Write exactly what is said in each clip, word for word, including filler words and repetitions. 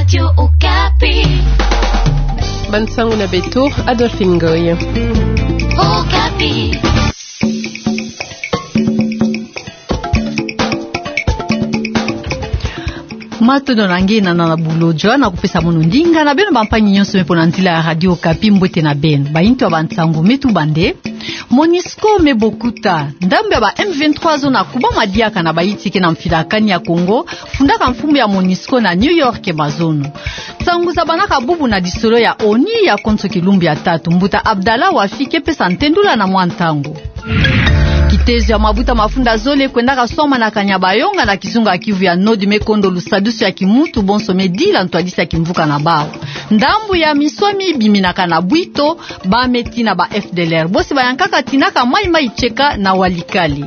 Radio Okapi. Bansangu na beto, Adolphine Ngoy. Okapi. Matondo na nge na, na bulo jwa na kupesa mono ndinga na beno bampangi nyonso me pona nzila ya Radio Okapi, mbote na beno. Bayinto ya bansangu me tuba nde: MONUSCO me bokuta. Ndambu ya ba M vingt-trois zo na kubama diaka na bayinti ke na mfilakani ya Kongo, fundaka mfumu ya MONUSCO na New York mazono. Nsangu zabanaka bubu na lisolo ya ONU ya konso kilumbu ya tatu. Mbuta Abdallah Wafi ke pesa ntendula na mwa ntangu. Kitezo ya mabuta mafunda zole kwendaka swama na Kanyabayonga na kizunga ya Kivu ya Nord me kondo lusadusu ya kimuntu bonso me dila ntwadisi ya kimvuka na bawu. Ndambu ya miswami biminaka na bwito, ba me tina ba F D L R. Bosi bayankaka tinaka maimai tieka na Walikale.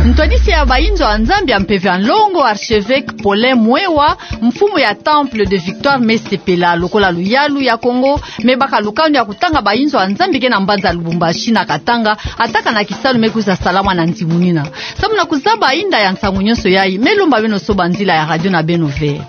Ntwadisi ya bayinzo ya Nzambi ya mpeve ya nlongo, archevêque Paulin Mwewa, mfumu ya Temple de Victoire, me sepela lokola luyalu ya Kongo me baka lukanu ya kutanga bayinzo ya Nzambi ke na mbanza Lubumbashi na Katanga, ataka na kisalu me kwiza salama na nzimunina. Samu na kuzaba inda ya nsangu nyonso yayi, me lomba beno soba nzila ya radio na beno ve.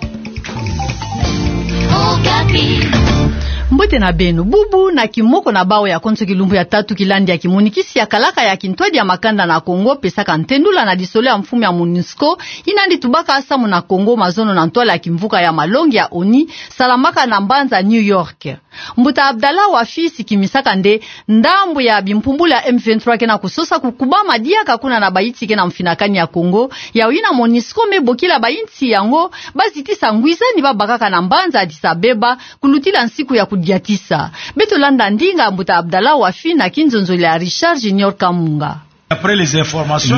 Mbote na beno. Bubu na kimoko na bawu ya konso kilumbu ya tatu kilandi ya kimonikisi ya kalaka ya kintwadi ya makanda na Kongo pesaka ntendula na lisolo ya mfumu ya MONUSCO, yina yandi tubaka samu na Kongo mazono na ntwala ya kimvuka ya malongi ya ONU, salamaka na mbanza New York. Mbuta Abdallah Wafi sikimisaka nde ndambu ya bimpumbulu ya M vingt-trois ke na kusosa kukubama diaka kuna na bayinti ke na mfinakani ya Kongo, yawu yina MONUSCO me bokila bayinti yango bazitisa ngwizani babakaka na mbanza Addis Abeba, kulutila nsiku ya kudiatisa. Beto landa ndinga mbuta Abdallah Wafi na kinzonzolo ya Richard Junior Kamunga.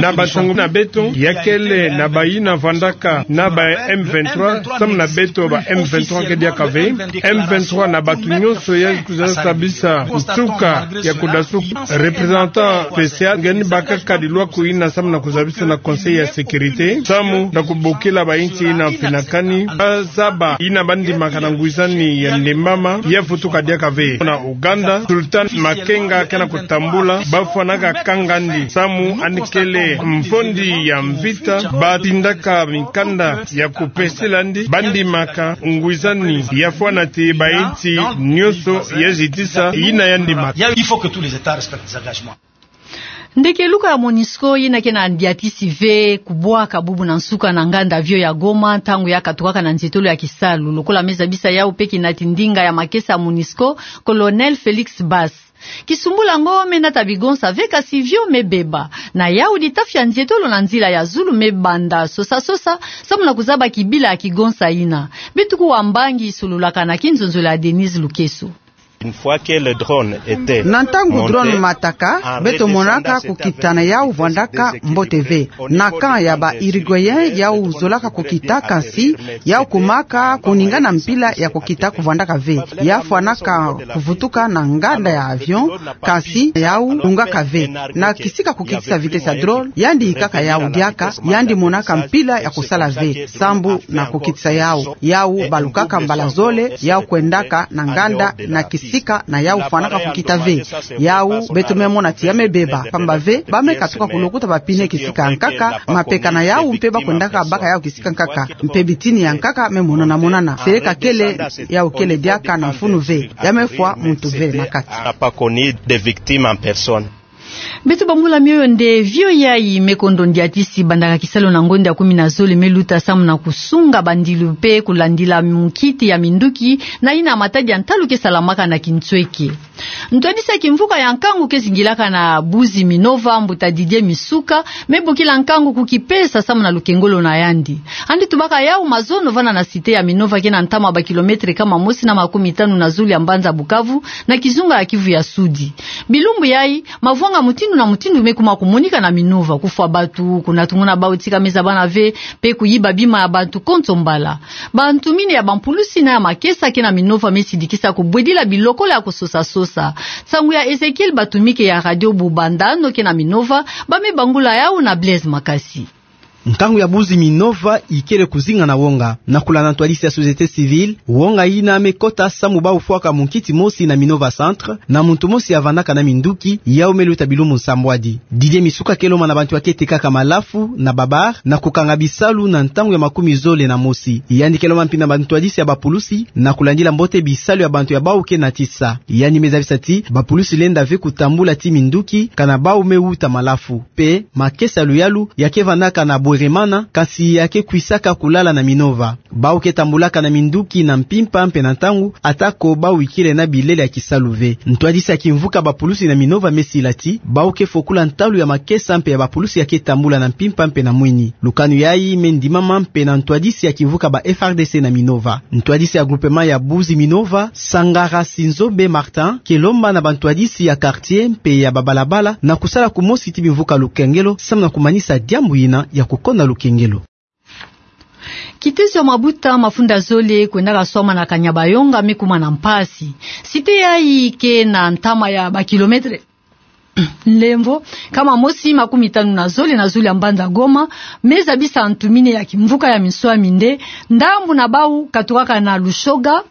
Na bansangu na beto, ya kele na bayina vandaka na ba M vingt-trois, samu na beto ba M vingt-trois ke diaka ve. M vingt-trois na bato nyonso ya kwiza zabisa nsuka ya kudasuka. Représentant spécial nge ni bakaka dilwa kuyina samu na kuzabisa na Conseil ya sécurité, samu na kubokila bayinti yina mfinakani, bazaba yina bandimaka na ngwizani ya ndembama, ya vutuka diaka ve. Na Ouganda, Sultan Makenga ke na kutambula, bafwanaka kangandi, samu yandi kele mfondi ya mvita, batindaka mikanda ya kupesela yandi, bandimaka ngwizani ya fwana ti bayinti nyonso ya zitisa yina ya ndimaka. Il faut que tous les États respectent les engagements. Ndekeluka ya MONUSCO yina ke na ndiatisi ve kubwaka bubu na nsuka na nganda avion ya Goma, ntangu ya katukaka na nzietolo ya kisalu. Lokola me zabisa yawu pe kinati ndinga ya makesa ya MONUSCO, Colonel Félix Basse. Kisumbula yango me nata bigonsa ve, kasi avion me beba. Na yawu ditafia nzietolo na nzila ya zulu me banda sosa-sosa, samu na kuzaba kibila ya kigonsa yina. Beto kuwa mbangi sololaka na kinzonzolo ya Denise Lukeso. Une fois que le drone était monté, en réduisant dans cet avion, il faisait que des échanges. Na ntangu drone mataka, beto monaka kukita na yawu vandaka mbote ve. Na camp ya ba Uruguayen yawu zolaka kukita, kasi yawu kumaka kuningana mpila ya kukita kuvandaka ve. Ya fwanaka kuvutuka na nganda ya avion, kasi yawu lungaka ve. Na kisika kukitisa vitesse ya drone, yandi yikaka yawu diaka, yandi monaka mpila ya kusala ve sambu na kukitisa yawu. Yawu balukaka mbala zole, yawu kwendaka na nganda na kisika na yawu fwanaka kukita ve. Yawu beto me mona ti ya me beba, pamba ve ba me katuka kulukuta ba pneu kisika ya nkaka, mapeka na yawu mpe ba kwendaka baka yawu kisika nkaka, mpe bitini ya nkaka me monana-monana. Seleka kele, yawu kele diaka na mfunu ve, ya me fwa muntu ve na kati. On n'a pas connu de victime en personne. Beto bangula mioyo nde avion yayi me kondo ndiatisi bandaka kisalu na ngonda ya kumi na zole me luta samu na kusunga bandilu mpe kulandila mukiti ya minduki na yina matadi ya ntalu ke salamaka na kinsweke. Ntwadisi ya kimvuka ya nkangu ke zingilaka na Buzi Minova, mbuta Didier Misuka, me bokila nkangu kukipesa samu na lukengolo na yandi. Yandi tubaka yawu mazono vanda na cité ya Minova ke na ntama ba kilomètre kama mosi na makumi tanu na zulu ya mbanza Bukavu, na kizunga ya Kivu ya Sudi. Bilumbu yayi, mavwanga mutindu na mutindu me kuma kumonika na Minova, kufwa bantu, kunatunguna bawu tika me zabana ve, mpe kuyiba bima ya bantu konso mbala. Bantu mina ya bampulusi na ya makesa ke na Minova me sidikisa kubwedila bilokolo ya kusosa-sosa. Nsangu ya Ezekiel Batumike ya Radio Bubanda, no ke na Minova, ba me bangula yawu na Blaise Makasi. Ntangu ya buzi Minova ikele kuzinga na wonga. Na kulanda ntwadisi ya société civile, wonga yina me kota samu bau fwaka munkiti mosi na Minova Centre, na muntu mosi avandaka na minduki, yau me luta bilumbu nsambwadi. Didier Misuka ke lomba na bantu ya ke tekaka malafu na ba bar na kukanga bisalu na ntangu ya makumi zole na mosi. Yandi ke lomba mpi na bantwadisi ya bapulusi na kulandila mbote bisalu ya bantu ya bau ke natisa. Yandi me zabisa ti bapulusi lenda ve kutambula ti minduki kana bau me wuta malafu. Mpe makesa ya luyalu ya ke vandaka na bweremana, kansi ya ke kwisaka kulala na Minova. Bau ke tambulaka na minduki na mpimpa mpe na ntangu, atako bau ikele na bilele ya kisalu ve. Ntwadisi ya kimvuka bapulusi na Minova me sila ti bau ke fokula ntalu ya makesa mpe ya bapulusi ya ke tambula na mpimpa mpe na mwini. Lukanu yayi me ndimama mpe na ntwadisi ya kimvuka ba F R D C na Minova. Ntwadisi ya groupement ya buzi Minova, Sangara Sinzobe Martin, ke lomba na bantwadisi ya quartier mpe ya babalabala na kusala kumosi ti bimvuka lukengelo samu na kumanisa diambu yina ya kukonda lukengelo. Kitezo ya mabuta mafunda zole kwendaka swama na Kanyabayonga me kuma na mpasi. Site yayi ke na ntama ya ba kilomètre, nlemvo, nkama mosi makumi tanu na zole na zulu ya mbanza Goma, me zabisa ntu mine ya kimvuka ya minswami nde ndambu na bau katukaka na Lushoga,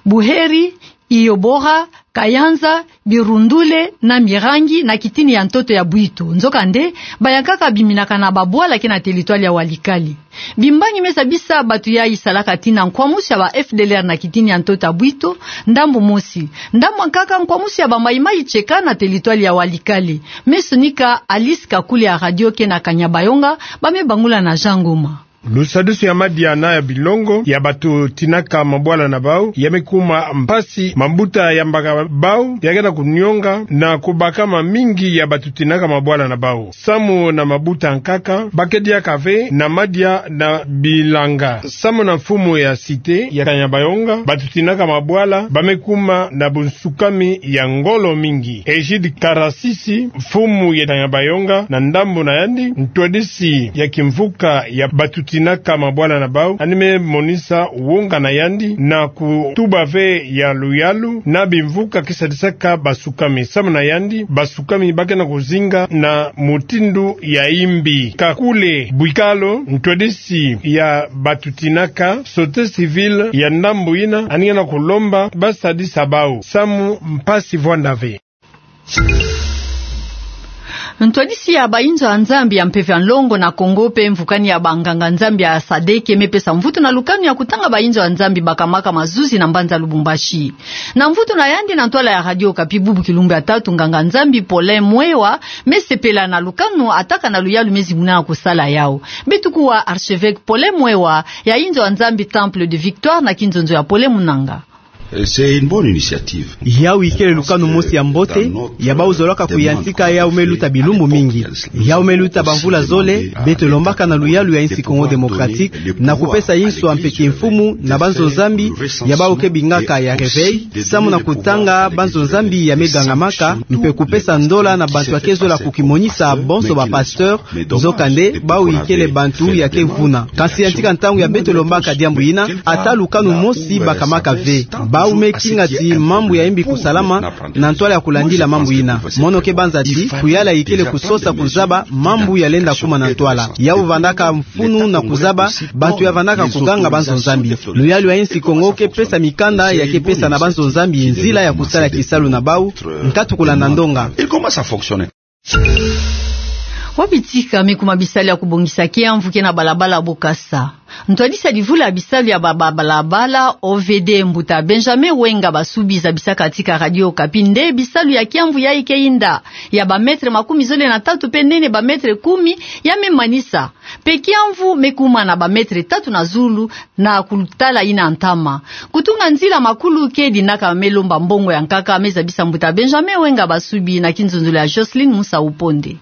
Buheri, Iyobora, Kayanza, Birundule na Mirangi na kitini ya ntoto ya Bwito. Nzokande, bayankaka biminaka na babwala ke na teritwale ya Walikale. Bimbangi me zabisa batu yayi salaka tina nkwamusu ya ba F D L R na kitini ya ntoto ya Bwito, ndambu mosi. Ndambu ya nkaka nkwamusu ya ba Maï-Maï tieka na teritwale ya Walikale. Me sonika Alice Kakule ya radio ke na Kanyabayonga, ba me bangula na Jean Ngoma. Lusadisu ya madia na ya bilongo ya batu tinaka mabwala na bau ya me kuma mpasi, mabuta ya mbaka bau ya ke na kunionga na kubaka mamingi ya batu tinaka mabwala na bau. Samu na mabuta nkaka, ba ke diaka ve na madia na bilanga. Samu na mfumu ya site ya Kanyabayonga, batu tinaka mabwala ba me kuma na bunsukami ya ngolo mingi. Egide Karasisi, mfumu ya Kanyabayonga, na ndambu na yandi, ntwadisi ya kimvuka ya batu tinaka mabwala na bau, yandi me monisa wonga na yandi na kutuba ve ya luyalu na bimvuka ke sadisaka basukami. Samu na yandi, basukami ba ke na kuzinga na mutindu ya imbi. Kakule Bwikalo, ntwadisi ya batu tinaka, société civile ya ndambu yina, yandi ke na kulomba ba sadisa bau samu mpasi vwanda ve. Ntwadisi ya bayinzo ya Nzambi ya mpeve ya nlongo na Kongo mpe mvukani ya banganga-Nzambi ya sadeke me pesa mvutu na lukanu ya kutanga bayinzo ya Nzambi bakamaka mazuzi na mbanza Lubumbashi. Na mvutu na yandi na ntwala ya Radio Okapi bubu kilumbu ya tatu, nganga-Nzambi Paulin Mwewa me sepela na lukanu ataka na luyalu me zimbuna na kusala yau. Beto kuwa archevêque Paulin Mwewa ya yinzo ya Nzambi Temple de Victoire na kinzonzo ya Paulin Munanga. C'est une bonne initiative. Yau ikele lukanu mosi ya mbote, ya bau zolaka kuyantika yau me luta bilumbu mingi. Yau me luta bamvula zole, beto lombaka na luyalu ya insi Congo Démocratique, na kupesa inswa mpe kimfumu na banzo-Nzambi ya bau ke bingaka ya réveil, samu na kutanga banzo-Nzambi ya me gangamaka, mpe kupesa ndola na bantu ya ke zola kukimonisa, bonso ba pasteur, nzokande, bau ikele bantu ya ke vuna. Kansi yantika ntangu ya beto lombaka diambu yina, ata lukanu mosi bakamaka ve. Bau me kinga ti mambu ya imbi kusalama na ntwala ya kulandila mambu yina. Mono ke banza ti, kuyala ikele kusosa kuzaba mambu ya lenda kuma na ntwala. Yau vandaka mfunu na kuzaba bantu ya vandaka kuganga banzo-Nzambi. Luyalu ya insi Kongo ke pesa mikanda ya ke pesa na banzo-Nzambi nzila ya kusala kisalu na bau, nkatu kulanda ndonga. Wapi tika me kuma bisalu ya kubongisa kiamvu ke na balabala Bokassa? Ntwadisi ya livula ya bisalu ya ba, ba, balabala, O V D, mbuta Benjamin Wenga Basubi zabisaka tika Radio Okapi nde bisalu ya kiamvu yayi ke yinda ya ba mètre makumi zole na tatu mpe nene ba mètre kumi, ya me manisa. Mpe kiamvu me kuma na ba mètre tatu na zulu, na kutala yina ntama. Kutunga nzila makulu ke dinaka me lomba mbongo ya nkaka, me zabisa mbuta Benjamin Wenga Basubi na kinzonzolo ya Jocelyne Musa Uponde.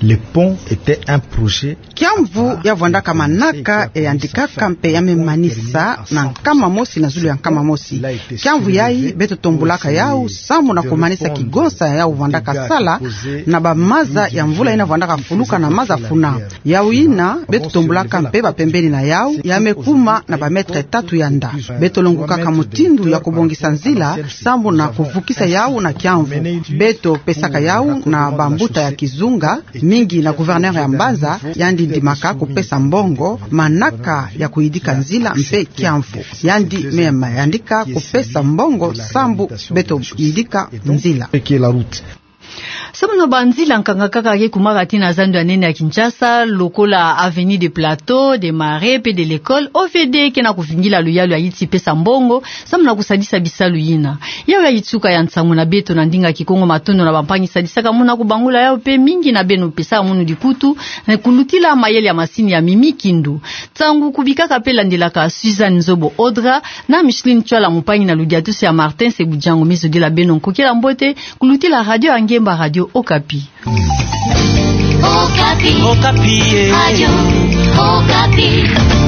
Le pont était un projet. Kiamvu ya vwandaka manaka, ya yandikaka mpe ya me manisa na nkama mosi na zulu ya nkama mosi. Kiamvu yayi beto tombulaka yau samu na kumanisa kigonsa ya yau vwandaka sala na ba maza ya mvula yina vwandaka fuluka na maza funa. Yau yina, beto tombulaka mpe ba pembeni na yau, ya me kuma na ba mètre tatu ya nda. Beto longukaka mutindu ya kubongisa nzila, sambu na kuvukisa yau na kiamvu. Beto pesaka yau na bambuta ya kizunga, Mingi na gouverneur ya mbanza, yandi ndimaka kupesa mbongo, manaka ya kuyidika nzila mpe kiamfo. Yandi me mayandika kupesa mbongo sambu beto yidika nzila. Samu na banzila nkanga kaka ke kumaka tii na zando ya nene ya Kinshasa, lokola Avenue des Plateaux, des Marais, mpe de l'École, O V D ke na kuvingila luyalu ya yiti pesa mbongo, samu na kusadisa bisalu yina. Yawu yayi nsuka ya nsangu na beto na ndinga Kikongo. Matondo na bampangi sadisaka muna kubangula yawu mpe mingi na beno pesaka munu dikutu, na kulutila mayele ya masini ya Mimi Kindu. Nsangu kubikaka mpe landilaka Suzanne Nzobo Audra, na Micheline Tswala mpangi na ludiatusi ya Martin Sebujango. Mi zodila beno nkokela mbote, kulutila radio ya ngemba Radio Okapi. Okapi. Okapi, eh. Radio Okapi.